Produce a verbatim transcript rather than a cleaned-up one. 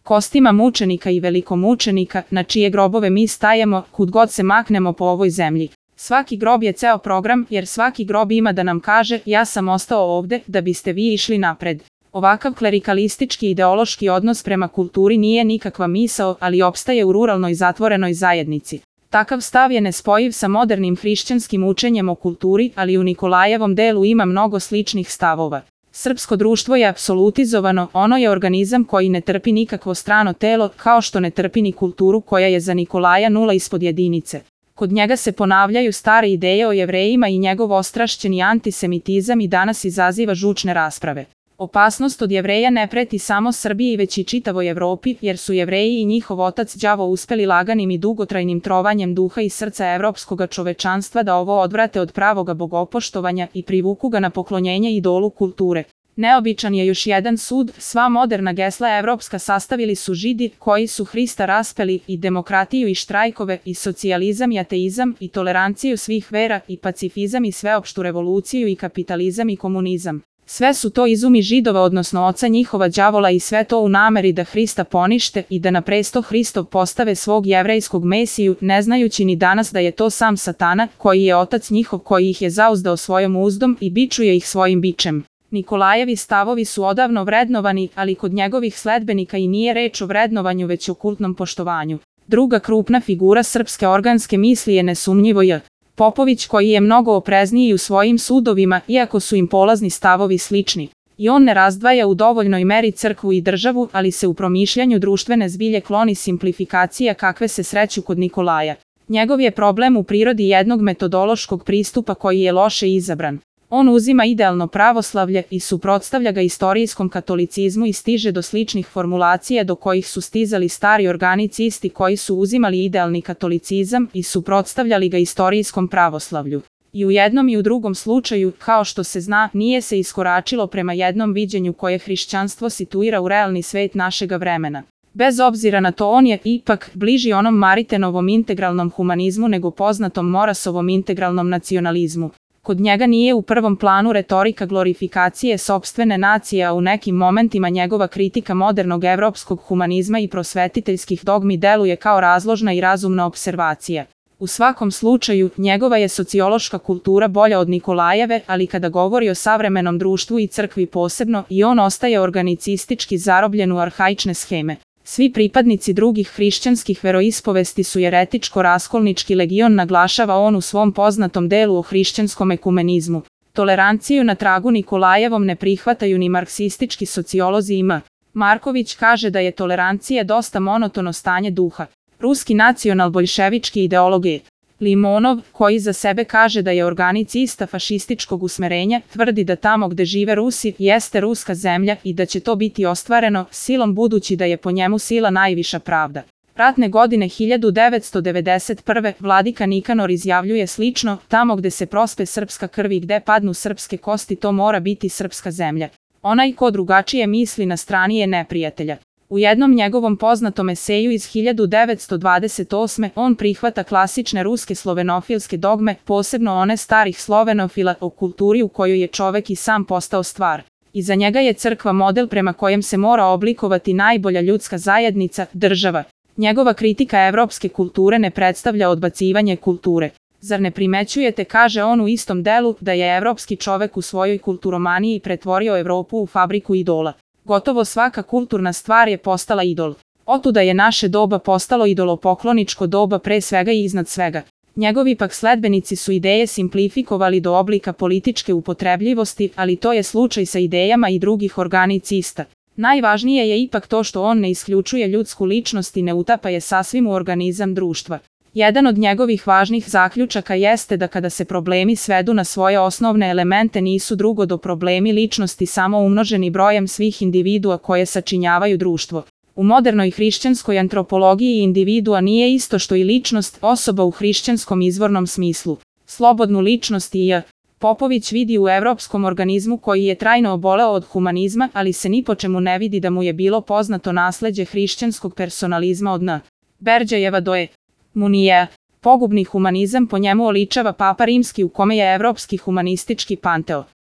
kostima mučenika i velikomučenika, na čije grobove mi stajemo, kud god se maknemo po ovoj zemlji. Svaki grob je ceo program, jer svaki grob ima da nam kaže, ja sam ostao ovde, da biste vi išli napred. Ovakav klerikalistički ideološki odnos prema kulturi nije nikakva misao, ali opstaje u ruralnoj zatvorenoj zajednici. Takav stav je nespojiv sa modernim hrišćanskim učenjem o kulturi, ali u Nikolajevom delu ima mnogo sličnih stavova. Srpsko društvo je apsolutizovano, ono je organizam koji ne trpi nikakvo strano telo, kao što ne trpi ni kulturu koja je za Nikolaja nula ispod jedinice. Kod njega se ponavljaju stare ideje o Jevrejima i njegov ostrašćeni antisemitizam i danas izaziva žučne rasprave. Opasnost od Jevreja ne preti samo Srbiji već i čitavoj Evropi, jer su Jevreji i njihov otac đavo uspeli laganim i dugotrajnim trovanjem duha i srca evropskoga čovečanstva da ovo odvrate od pravoga bogopoštovanja i privuku ga na poklonjenje idolu kulture. Neobičan je još jedan sud, sva moderna gesla evropska sastavili su Židi, koji su Hrista raspeli, i demokratiju i štrajkove, i socijalizam i ateizam, i toleranciju svih vera, i pacifizam i sveopštu revoluciju i kapitalizam i komunizam. Sve su to izumi Židova odnosno oca njihova đavola i sve to u nameri da Hrista ponište i da na presto Hristov postave svog jevrejskog Mesiju, ne znajući ni danas da je to sam Satana, koji je otac njihov koji ih je zauzdao svojom uzdom i bičuje ih svojim bičem. Nikolajevi stavovi su odavno vrednovani, ali kod njegovih sledbenika i nije reč o vrednovanju već o kultnom poštovanju. Druga krupna figura srpske organske misli je nesumnjivo J. Popović, koji je mnogo oprezniji u svojim sudovima, iako su im polazni stavovi slični. I on ne razdvaja u dovoljnoj meri crkvu i državu, ali se u promišljanju društvene zbilje kloni simplifikacija kakve se sreću kod Nikolaja. Njegov je problem u prirodi jednog metodološkog pristupa koji je loše izabran. On uzima idealno pravoslavlje i suprotstavlja ga istorijskom katolicizmu i stiže do sličnih formulacija do kojih su stizali stari organicisti koji su uzimali idealni katolicizam i suprotstavljali ga istorijskom pravoslavlju. I u jednom i u drugom slučaju, kao što se zna, nije se iskoračilo prema jednom viđenju koje hrišćanstvo situira u realni svet našega vremena. Bez obzira na to on je, ipak, bliži onom Maritenovom integralnom humanizmu nego poznatom Morasovom integralnom nacionalizmu. Kod njega nije u prvom planu retorika glorifikacije sopstvene nacije, a u nekim momentima njegova kritika modernog evropskog humanizma i prosvetiteljskih dogmi deluje kao razložna i razumna observacija. U svakom slučaju, njegova je sociološka kultura bolja od Nikolajeve, ali kada govori o savremenom društvu i crkvi posebno, i on ostaje organicistički zarobljen u arhaične scheme. Svi pripadnici drugih hrišćanskih veroispovesti su jeretičko-raskolnički legion, naglašava on u svom poznatom delu o hrišćanskom ekumenizmu. Toleranciju na tragu Nikolajevom ne prihvataju ni marksistički sociolozi i M. Marković kaže da je tolerancija dosta monotono stanje duha. Ruski nacional-boljševički ideolog je. Limonov, koji za sebe kaže da je organicista fašističkog usmerenja, tvrdi da tamo gde žive Rusi jeste ruska zemlja i da će to biti ostvareno silom budući da je po njemu sila najviša pravda. Ratne godine hiljadu devetsto devedeset prve. Vladika Nikanor izjavljuje slično, tamo gde se prospe srpska krv i gde padnu srpske kosti to mora biti srpska zemlja. Onaj ko drugačije misli na strani je neprijatelja. U jednom njegovom poznatom eseju iz hiljadu devetsto dvadeset osme. on prihvata klasične ruske slovenofilske dogme, posebno one starih slovenofila o kulturi u kojoj je čovek i sam postao stvar. I za njega je crkva model prema kojem se mora oblikovati najbolja ljudska zajednica, država. Njegova kritika evropske kulture ne predstavlja odbacivanje kulture. Zar ne primećujete, kaže on u istom delu, da je evropski čovek u svojoj kulturomaniji pretvorio Evropu u fabriku idola. Gotovo svaka kulturna stvar je postala idol. Otuda je naše doba postalo idolopokloničko doba pre svega i iznad svega. Njegovi pak sledbenici su ideje simplifikovali do oblika političke upotrebljivosti, ali to je slučaj sa idejama i drugih organicista. Najvažnije je ipak to što on ne isključuje ljudsku ličnost i ne utapa je sasvim u organizam društva. Jedan od njegovih važnih zaključaka jeste da kada se problemi svedu na svoje osnovne elemente nisu drugo do problemi ličnosti samo umnoženi brojem svih individua koje sačinjavaju društvo. U modernoj hrišćanskoj antropologiji individua nije isto što i ličnost, osoba u hrišćanskom izvornom smislu. Slobodnu ličnost i J. Popović vidi u evropskom organizmu koji je trajno oboleo od humanizma, ali se ni po čemu ne vidi da mu je bilo poznato nasleđe hrišćanskog personalizma od N. Berđajeva do E. Munije. Pogubni humanizam po njemu oličava Papa Rimski u kome je evropski humanistički panteo.